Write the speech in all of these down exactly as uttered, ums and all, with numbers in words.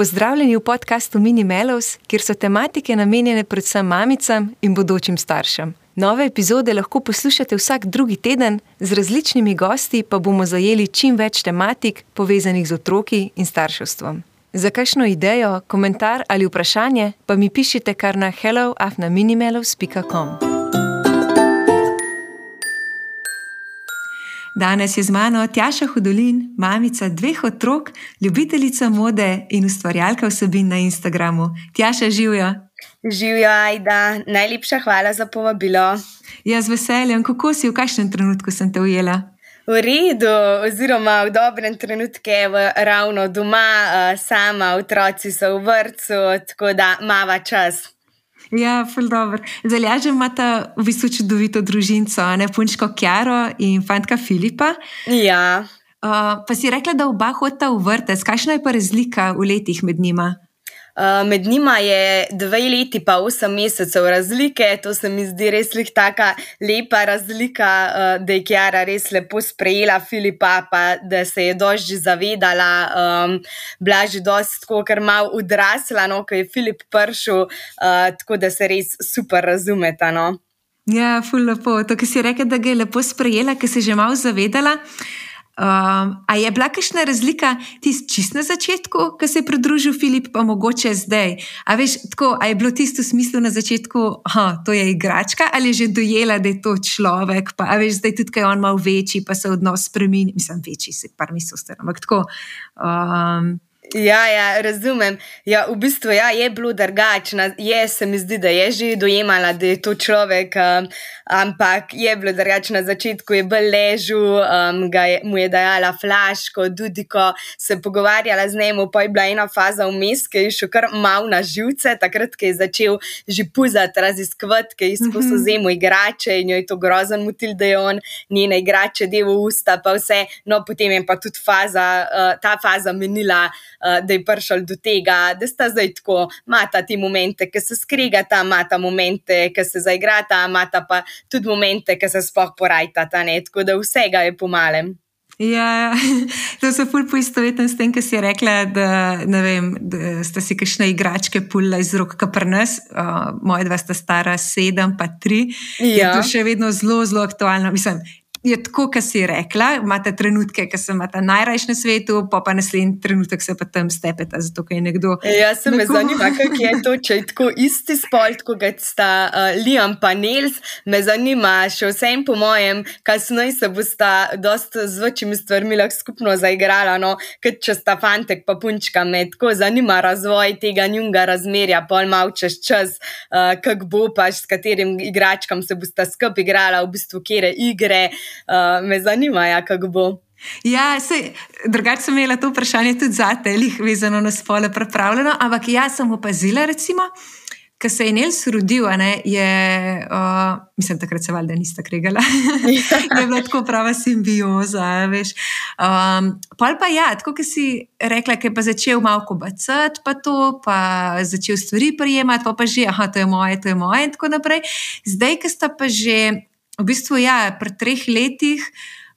Pozdravljeni v podkastu Mini Melows, kjer so tematike namenjene predvsem mamicam in bodočim staršem. Nove epizode lahko poslušate vsak drugi teden, z različnimi gosti pa bomo zajeli čim več tematik, povezanih z otroki in starševstvom. Za kakšno idejo, komentar ali vprašanje pa mi pišite kar na hello afna minimelows pika com. Danes je z mano Tjaša Hudolin, mamica dveh otrok, ljubiteljica mode in ustvarjalka vsebin na Instagramu. Tjaša, živjo! Živjo, Ajda. Najlepša hvala za povabilo. Ja, z veseljem. Kako si, v kakšnem trenutku sem te ujela? V redu, oziroma v dobrem trenutku, ravno doma, sama, otroci so v vrtcu, tako da mava čas. Ja, ful dobro. Z Aljažem imata v bistvu čudovito družinco, ne, punčko Kjaro in fantka Filipa. Ja. Uh, pa si rekla, da oba hodita v vrtec. Kakšna je pa razlika v letih med njima? Uh, med njima je dve leti pa osem mesecev razlike, to se mi zdi res lih taka lepa razlika, uh, da je Kjara res lepo sprejela Filipa, pa da se je dosti že zavedala, um, bila že dosti tako, ker malo odrasla, no, ko je Filip prišel, uh, tako da se res super razumeta, no. Ja, ful lepo. To, ki si rekla, da ga je lepo sprejela, ki se je že malo zavedala. Um, a je bila kakšna razlika tisto čist na začetku, ko se je pridružil Filip, pa mogoče zdaj? A veš, tako, a je bilo tisto v smislu na začetku, aha, to je igračka, ali je že dojela, da je to človek, pa a veš, zdaj tudi, ko je on malo večji, pa se odnos spremeni, mislim, večji, se par misel star, ampak tako. Um, Ja, ja, razumem. Ja, v bistvu ja, je bilo drugačno. Je, se mi zdi, da je že dojemala, da je to človek, um, ampak je bilo drugačno. Na začetku je bolj ležal, um, ga je, mu je dajala flaško, dudiko, se pogovarjala z njim, pa je bila ena faza vmes, ki je šel kar mal na živce, takrat, ko je začel že puzati, raziskovati, ki je izkusil mm-hmm. zemu igrače in jo je to grozen motil, da je on njene igrače del v usta, pa vse. No, potem je pa tudi faza, uh, ta faza menila, Uh, da je prišel do tega, da sta zdaj tako, imata ti momente, ki se skregata, imata momente, ki se zaigrata, imata pa tudi momente, ki se sploh porajtata, ne, tako da vsega je po malem. Ja, to so ful poistovetno s tem, ki si rekla, da, ne vem, da sta si kakšne igračke pulila iz rok, ka pri nas, uh, moja dva sta stara sedem pa tri, ja. Je to še vedno zelo, zelo aktualno, mislim, je tako, kot si rekla, imate trenutke, ki se imate najrajši na svetu, pa pa naslednji trenutek se pa tam stepeta, zato ker je nekdo... Ja, se me zanima, kako je to, če je tako isti spol, tako kot sta uh, Liam pa Nels, me zanima še vsem po mojem, kasneje se bosta dosti z večjimi stvarmi lahko skupno zaigrala, no, kot če sta fantek pa punčka, me tako zanima razvoj tega njunga razmerja, pol malo čez čas, uh, kak bo pa, s katerim igračkam se bosta skup igrala, v bistvu kjere igre. Uh, me zanima, ja, kako bo. Ja, sej, drugače sem imela to vprašanje tudi zate, lih vezano na spole pripravljeno, ampak jaz sem opazila, recimo, ko se je Nels rodil, ne, je, uh, mislim, takrat se valjda nista kregala, je bila tako prava simbioza, veš. Um, pol pa ja, tako, ko si rekla, ko je pa začel malo kobacati, pa to, pa začel stvari prijemati, pa pa že, aha, to je moje, to je moje in tako naprej. Zdaj, ko sta pa že v bistvu, ja, pri treh letih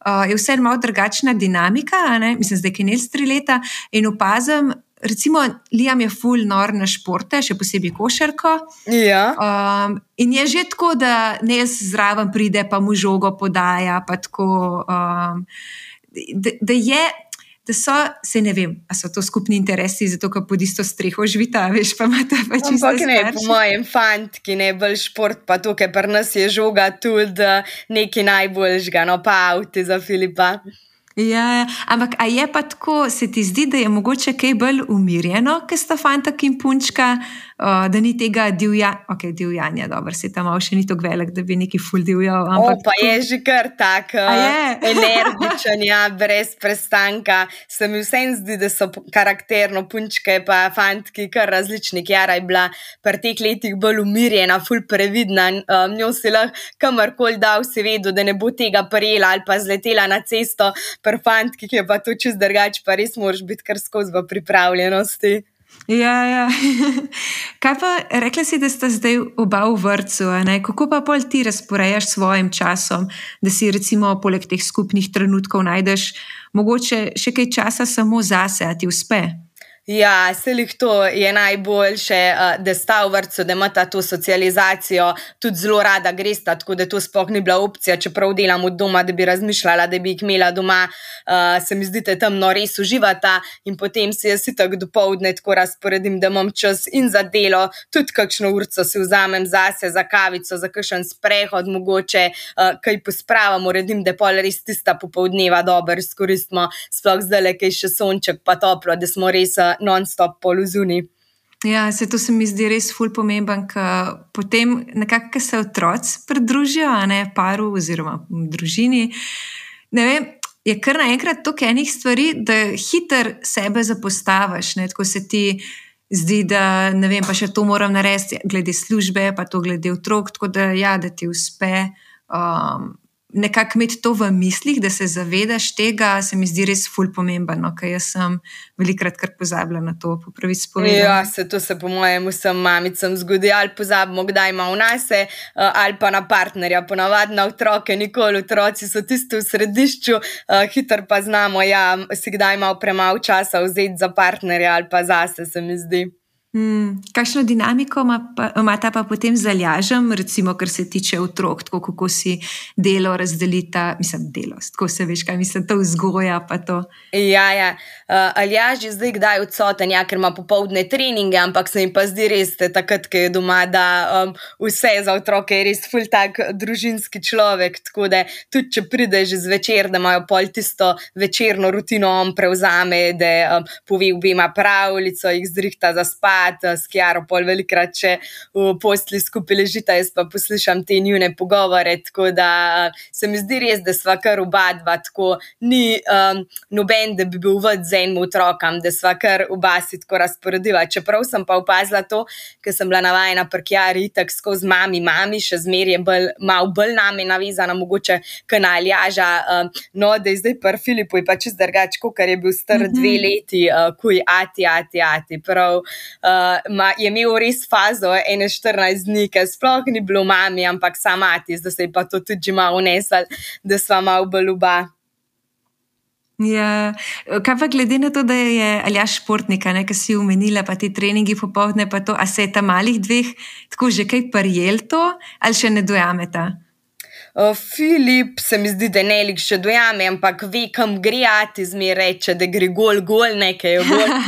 uh, je vse malo drugačna dinamika, ne? Mislim, zdaj, ki je Nels tri leta in opazim, recimo, Liam je ful nor na športe, še posebej košarko. Ja. Um, in je že tako, da Nels zraven pride, pa mu žogo podaja, pa tako, um, da, da je, da so, se ne vem, a so to skupni interesi, zato, ker pod isto streho živita, veš, pa imate pa čisto starši. Ampak ne, po mojem fantki, ne, bolj šport, pa to, ker pri nas je žoga tudi nekaj najboljšega, no, pa avti za Filipa. Ja, ampak a je pa tako, se ti zdi, da je mogoče kaj bolj umirjeno, ker sta fantak in punčka, uh, da ni tega divja, ok, divjanja, dobro, se tam malo še ni tako velik, da bi neki ful divjal. O, pa tako... je že kar tak energičen, ja, brez prestanka. Se mi vsem zdi, da so karakterno punčke pa fantki kar različni. Kjara je bila pri teh letih bolj umirjena, ful previdna, um, njo si lahko kamorkoli dal, si vedel, da ne bo tega prijela ali pa zletela na cesto. Pri fantki, ki je pa to čist drugače, pa res moraš biti kar skozi v pripravljenosti. Ja, ja. Kaj pa, rekla si, da sta zdaj oba v vrtcu, ne? Kako pa pol ti razporejaš svojim časom, da si recimo poleg teh skupnih trenutkov najdeš mogoče še kaj časa samo zase, a ti uspe? Ja, selih to je najboljše, da sta v vrtcu, da imata to socializacijo, tudi zelo rada gresta, tako da to sploh ni bila opcija, čeprav delam od doma, da bi razmišljala, da bi jih imela doma, se mi zdi, da tam no res uživata in potem si jaz itak dopoldne tako razporedim, da imam čas in za delo, tudi kakšno urco si vzamem zase, za kavico, za kakšen sprehod mogoče, kaj pospravam, uredim, da pol res tista popoldneva dobro izkoristimo, sploh zdajle, kaj še sonček pa toplo, da smo res non-stop pol v zuni. Ja, se to se mi zdi res ful pomemben, ker potem nekako, ko se otroci pridružijo, a ne paru oziroma v družini, ne vem, je kar naenkrat toliko enih stvari, da hitro sebe zapostaviš, ne, tako se ti zdi, da ne vem, pa še to moram narediti glede službe, pa to glede otrok, tako da ja, da ti uspe um, nekako imeti to v mislih, da se zavedaš tega, se mi zdi res ful pomembno, ker jaz sem velikrat kar pozabila na to, po pravici povedano. Ja, se to se po mojem vsem mamicam zgodi, ali pozabimo, kdaj ima vnase, ali pa na partnerja, ponavadi na otroke, nikoli otroci so tisti v središču, hitro pa znamo, ja, si kdaj malo premalo časa vzeti za partnerja ali pa zase, se mi zdi. Hmm, kakšno dinamiko imata pa potem z Aljažem, recimo, kar se tiče otrok, tako kako si delo razdelita, mislim, delo, tako se veš, kaj mislim, to vzgoja pa to. Ja, ja, uh, Aljaž je zdaj kdaj odsoten, ja, ker ima popoldne treninge, ampak se mi pa zdi res, takrat, ko je doma, da um, vse za otroke je res ful tak družinski človek, tako da tudi, če pride že zvečer, da imajo pol tisto večerno rutino on prevzame, da um, pove obema pravljico, jih zrihta za spat, s Kiaro pol velikrat še v postli skupaj ležita, jaz pa poslušam te njune pogovore, tako da se mi zdi res, da sva kar oba dva, tako ni um, noben, da bi bil vod z enim otrokam, da sva kar oba si tako razporediva, čeprav sem pa opazila to, ker sem bila navajena pri Kiari itak skozi mami, mami, še zmer je bolj, malo bolj name navezana, mogoče k na Aljaža, um, no, da je zdaj pri Filipu je pa čist drugač, kakor je bil star mm-hmm. dve leti, uh, kuj ati, ati, ati, prav, uh, Uh, ma, je imel res fazo ene štirinajst dni, ker sploh ni bilo mami, ampak sama ati, zdaj se je pa to tudi že malo unesel, da sva malo bolj oba. Ja, kaj pa glede na to, da je Aljaž športnika, ne, ki si omenila, pa ti treningi popoldne, pa to, a se je ta malih dveh tako že kaj prijel to, ali še ne dojameta? Uh, Filip se mi zdi, da nelik še dojame, ampak ve, kam gre ati, zmer reče, da gre gol, gol, nekaj je gol.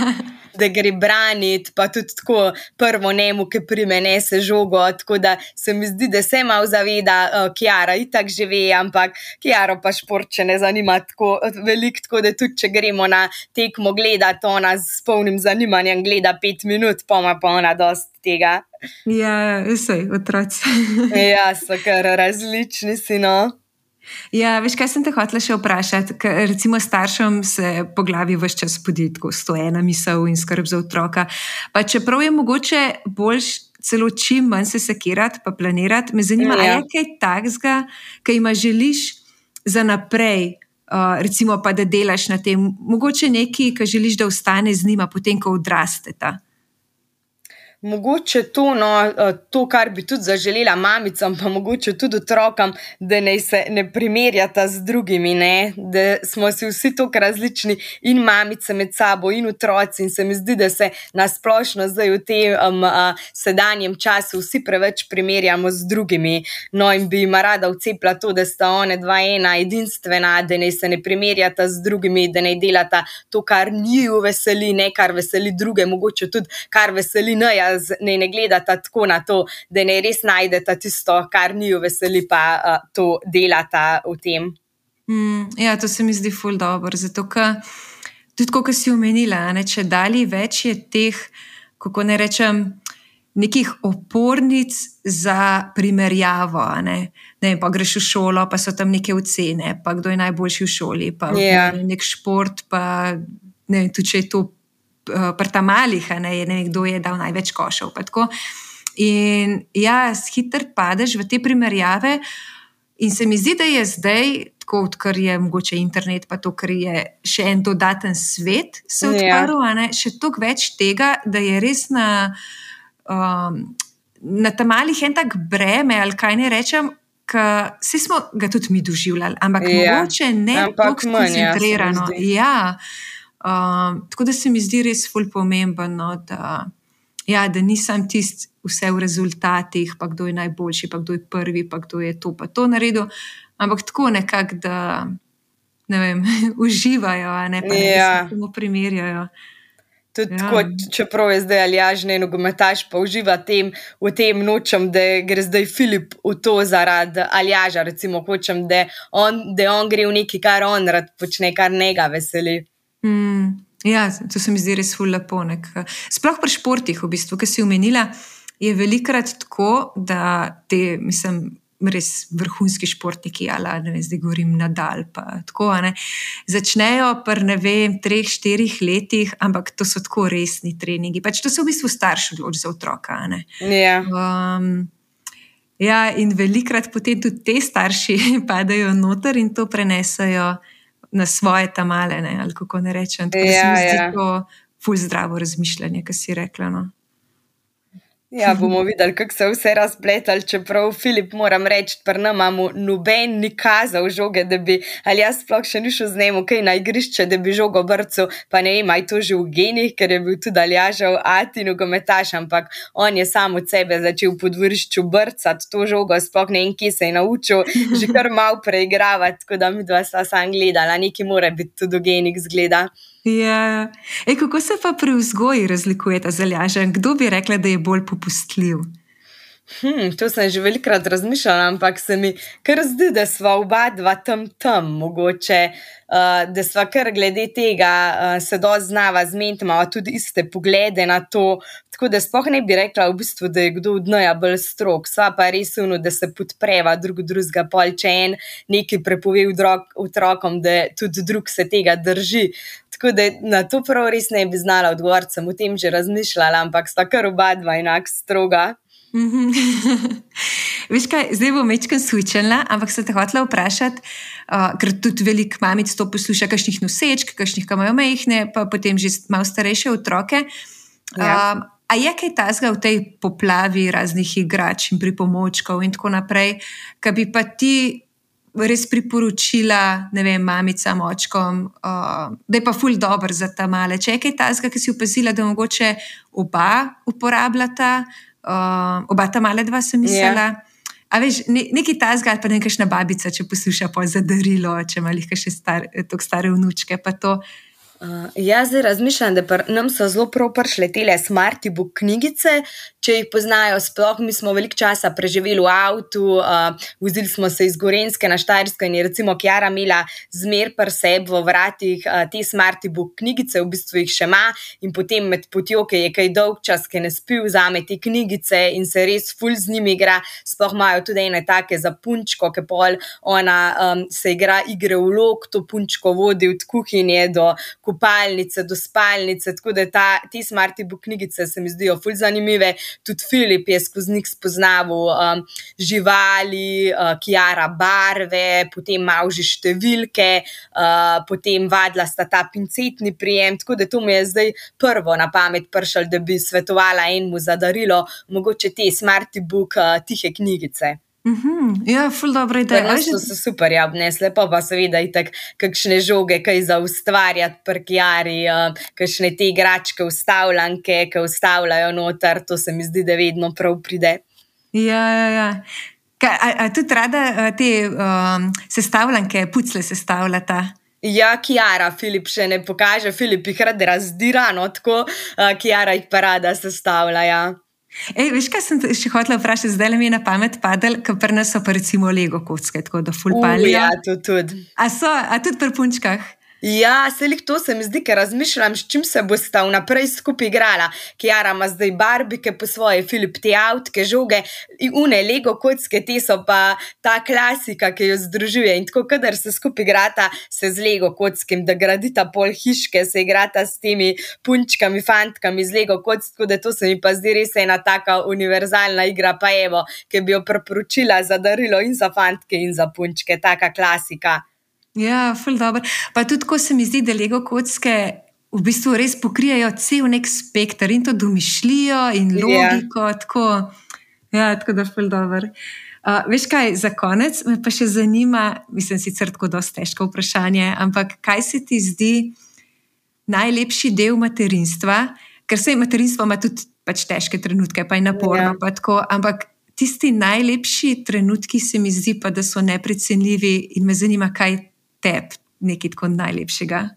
Da gre braniti, pa tudi tako prvo njemu, ki prime nese žogo, tako da se mi zdi, da se malo zaveda, uh, Kiara itak že ve, ampak Kiaro pa šport še ne zanima tako veliko, tako da tudi, če gremo na tekmo gledati, ona s polnim zanimanjem gleda pet minut, pa ima pa ona dosti tega. Ja, vsej, otroci. Ja, so kar različni si, no. Ja, veš, kaj sem te hotela še vprašati, ker recimo staršem se po glavi ves čas podi tako sto ena misel in skrb za otroka, pa čeprav je mogoče boljš celo čim manj se sekirati pa planirati, me zanima, ja. Je kaj takega, kaj ima želiš za naprej, uh, recimo pa da delaš na tem, mogoče nekaj, kaj želiš, da ostane z njima potem, ko odrasteta. Mogoče to, no, to, kar bi tudi zaželela mamicam, pa mogoče tudi otrokam, da ne se ne primerjata z drugimi, ne, da smo si vsi toliko različni in mamice med sabo in otroci in se mi zdi, da se nasplošno zdaj v tem um, uh, sedanjem času vsi preveč primerjamo z drugimi, no in bi ima rada vcepla to, da sta one dva ena edinstvena, da ne se ne primerjata z drugimi, da ne delata to, kar njiju veseli, ne kar veseli druge, mogoče tudi kar veseli neja, ne ne gledata tako na to, da ne res najdeta tisto, kar njiju veseli, pa uh, to delata v tem. Mm, ja, to se mi zdi ful dobro, zato ker tudi, kot si omenila, ne, če dali več je teh, kako ne rečem, nekih opornic za primerjavo, ne, ne, pa greš v šolo, pa so tam neke ocene, pa kdo je najboljši v šoli, pa yeah. nek šport, pa ne, tudi če je to pri ta malih, ne, je ne, kdo je dal največ košev. In ja, hitro padeš v te primerjave in se mi zdi, da je zdaj, tako odkar je mogoče internet, pa to, ker je še en dodaten svet se odprl, ja. ne, še toliko več tega, da je res na, um, na ta malih en tak breme, ali kaj ne rečem, ker vsi smo ga tudi mi doživljali, ampak ja. mogoče ne tako skoncentrirano. Ja, Uh, tako da se mi zdi res ful pomembno, no, da, ja, da nisem tist vse v rezultatih, pa kdo je najboljši, pa kdo je prvi, pa kdo je to pa to naredil, ampak tako nekako, da ne vem, uživajo, a ne pa ne, Ja. da se samo primerjajo. Tudi Ja. tako, čeprav je zdaj Aljaž ne nogometaš, pa uživa tem, v tem nočem, da gre zdaj Filip v to zaradi Aljaža, recimo hočem, da on, da on gre v nekaj, kar on rad počne, kar njega veseli. Mm, ja, to se mi zdi res ful lepo. nek- Sploh pri športih, v bistvu, ki si omenila, je velikrat tako, da te, mislim, res vrhunski športniki, ali ne vem, zdaj govorim Nadal, pa tako, a ne, začnejo pri, ne vem, treh, štirih letih, ampak to so tako resni treningi. Pač to se v bistvu starš odloči za otroka, a ne. Ja. Um, ja, in velikrat potem tudi te starši padajo noter in to prenesajo na svoje tamale, ne, ali kako ne rečem. Tako da se Ja, mi zdi ja. to ful zdravo razmišljanje, ki si rekla. No. Ja, bomo videli, kako se vse razpletali, čeprav Filip, moram reči, pri nam imamo noben ni kazal žoge, da bi, ali jaz sploh še ni šel z njim, kaj na igrišče, da bi žogo brcal, pa ne vem, aj to že v genih, ker je bil tudi Aljažev ati nogometaš, ampak on je sam od sebe začel po dvorišču brcati to žogo, sploh ne vem, kje se je naučil, že kar malo preigravati, tako da mi dva sva sam gledala, nekaj mora biti tudi v genih zgleda. Ja. Ej, kako se pa pri vzgoji razlikujeta z Aljažem? Kdo bi rekla, da je bolj popustljiv? Hm, to sem že velikrat razmišljala, ampak se mi kar zdi, da sva oba dva tam tam, mogoče, uh, da sva kar glede tega uh, se dosti znava zmeniti, imava tudi iste poglede na to, tako da sploh ne bi rekla v bistvu, da je kdo od naju bolj strog, sva pa res ono, da se podpreva drug drugega, pol če en nekaj prepove otrokom, da tudi drug se tega drži. Tako da na to prav res ne bi znala odgovoriti, sem o tem že razmišljala, ampak sta kar oba dva enak stroga. Veš kaj, zdaj bom mečkam switchala, ampak se te hotela vprašati, uh, ker tudi veliko mamic to posluša, kakšnih nosečk, kakšnih, ki imajo majhne, pa potem že malo starejše otroke. Ja. Um, a je kaj tazga v tej poplavi raznih igrač in pripomočkov in tako naprej, ki bi pa ti res priporočila, ne vem, mamicam, očkom, uh, da je pa ful dober za ta male. Če je kaj tazga, ki si opazila, da mogoče oba uporabljata, uh, oba ta male dva sem mislila. Yeah. A veš, ne, nekaj tazga ali pa nekakšna babica, če posluša po za darilo, če ima lihka še star, tok stare vnučke, pa to. Uh, jaz zdaj razmišljam, da pr, nam so zelo prav prišle tele Smarty Book knjigice, če jih poznajo sploh, mi smo veliko časa preživeli v avtu, uh, vozili smo se iz Gorenjske na Štajersko in je recimo Kjara imela zmer pri sebi v vratih uh, te Smarty Book knjigice, v bistvu jih še ima in potem med potjo, ki je kaj dolg čas, ki ne spi, vzame te knjigice in se res ful z njimi igra, sploh imajo tudi ene take za punčko, ki pol ona um, se igra igre vlog, to punčko vodi od kuhinje do kopalnice, do spalnice, tako da ta, te Smarty Book knjigice se mi zdijo ful zanimive. Tudi Filip je skozi njih spoznaval um, živali, uh, Kjara barve, potem malo že številke, uh, potem vadila sta ta pincetni prijem, tako da to mi je zdaj prvo na pamet prišlo, da bi svetovala enemu za darilo, mogoče te Smarty Book uh, tihe knjigice. Mm-hmm. Ja, ful dobro ideja. Prvo so se super ja obnesle, pa pa seveda itak kakšne žoge, kaj za ustvarjati pri Kjari, uh, kakšne te igračke ustavljanke, ki ustavljajo noter, to se mi zdi, da vedno prav pride. Ja, ja, ja. Kaj, a, a tudi rada a, te um, sestavljanke, pucle sestavljata? Ja, Kjara, Filip še ne pokaže, Filip jih rad razdira, no tako, uh, Kjara jih pa rada sestavlja, ja. Ej, veš, kaj sem še hotela vprašati, zdaj mi je na pamet padel, ker pri nas so pa recimo Lego kocke, tako da ful palijo. Ja, to tudi. A so, a tudi pri punčkah? Ja, selih to se mi zdi, ker razmišljam, s čim se bosta vnaprej skupaj igrala. Kjara ima zdaj barbike po svoje, Filip te avtke, žoge, in une Lego kocke, te so pa ta klasika, ki jo združuje. In tako, kadar se skupaj igrata, se z Lego kockem, da gradita pol hiške, se igrata s temi punčkami, fantkami z Lego kock, tako da to se mi pa zdi res ena taka univerzalna igra, pa evo, ki bi jo priporočila za darilo in za fantke in za punčke, taka klasika. Ja, ful dobro. Pa tudi, ko se mi zdi, da Lego kocke v bistvu res pokrijajo cel nek spekter in to domišljijo in logiko, yeah. tako, ja, tako da ful dobro. Uh, veš kaj, za konec me pa še zanima, mislim sicer tako dosti težko vprašanje, ampak kaj se ti zdi najlepši del materinstva, ker se materinstvo ima tudi pač težke trenutke, pa je naporno, Ja. pa tako, ampak tisti najlepši trenutki se mi zdi pa, da so neprecenljivi in me zanima, kaj tebi nekaj tako najlepšega.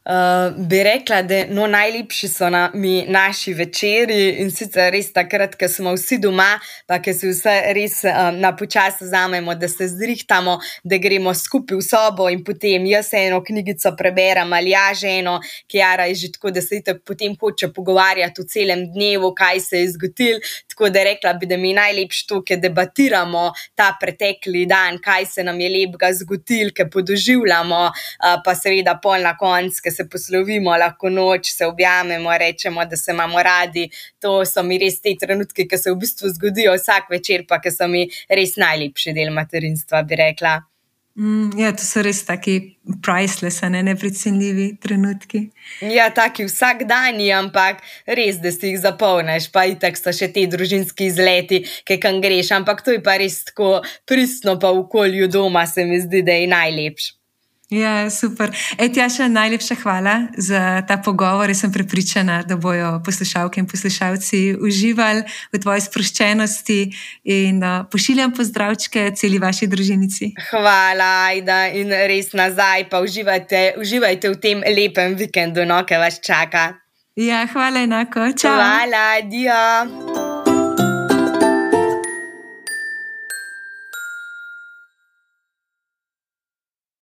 Uh, bi rekla, da no, najlepši so na, mi naši večeri in sicer res takrat, ko smo vsi doma, pa ko si vse res um, na počas vzamemo, da se zrihtamo, da gremo skupaj v sobo in potem jaz eno knjigico preberem ali ja ženo, Kiara je že tako, da se itak potem hoče pogovarjati v celem dnevu, kaj se je zgodil, tako da rekla bi, da mi je najlepši to, ker debatiramo ta pretekli dan, kaj se nam je lepega zgodil, ker podoživljamo, uh, pa seveda pol na konc, se poslovimo, lahko noč, se objamemo, rečemo, da se imamo radi. To so mi res te trenutki, ki se v bistvu zgodijo vsak večer, pa ki so mi res najlepši del materinstva, bi rekla. Mm, ja, to so res taki priceless, ne, neprecenljivi trenutki. Ja, taki vsakdanji, ampak res, da si jih zapolniš, pa itak so še te družinski izleti, ki kam greš, ampak to je pa res tako pristno, pa v okolju doma se mi zdi, da je najlepši. Ja, super. Ej, Tjaša, najlepša hvala za ta pogovor. Jaz sem prepričana, da bojo poslušalke in poslušalci uživali v tvoji sproščenosti in uh, pošiljam pozdravčke celi vaši družinici. Hvala, Ajda, in res nazaj, pa uživajte, uživajte v tem lepem vikendu, no, ki vas čaka. Ja, hvala enako. Čau. Hvala, adijo.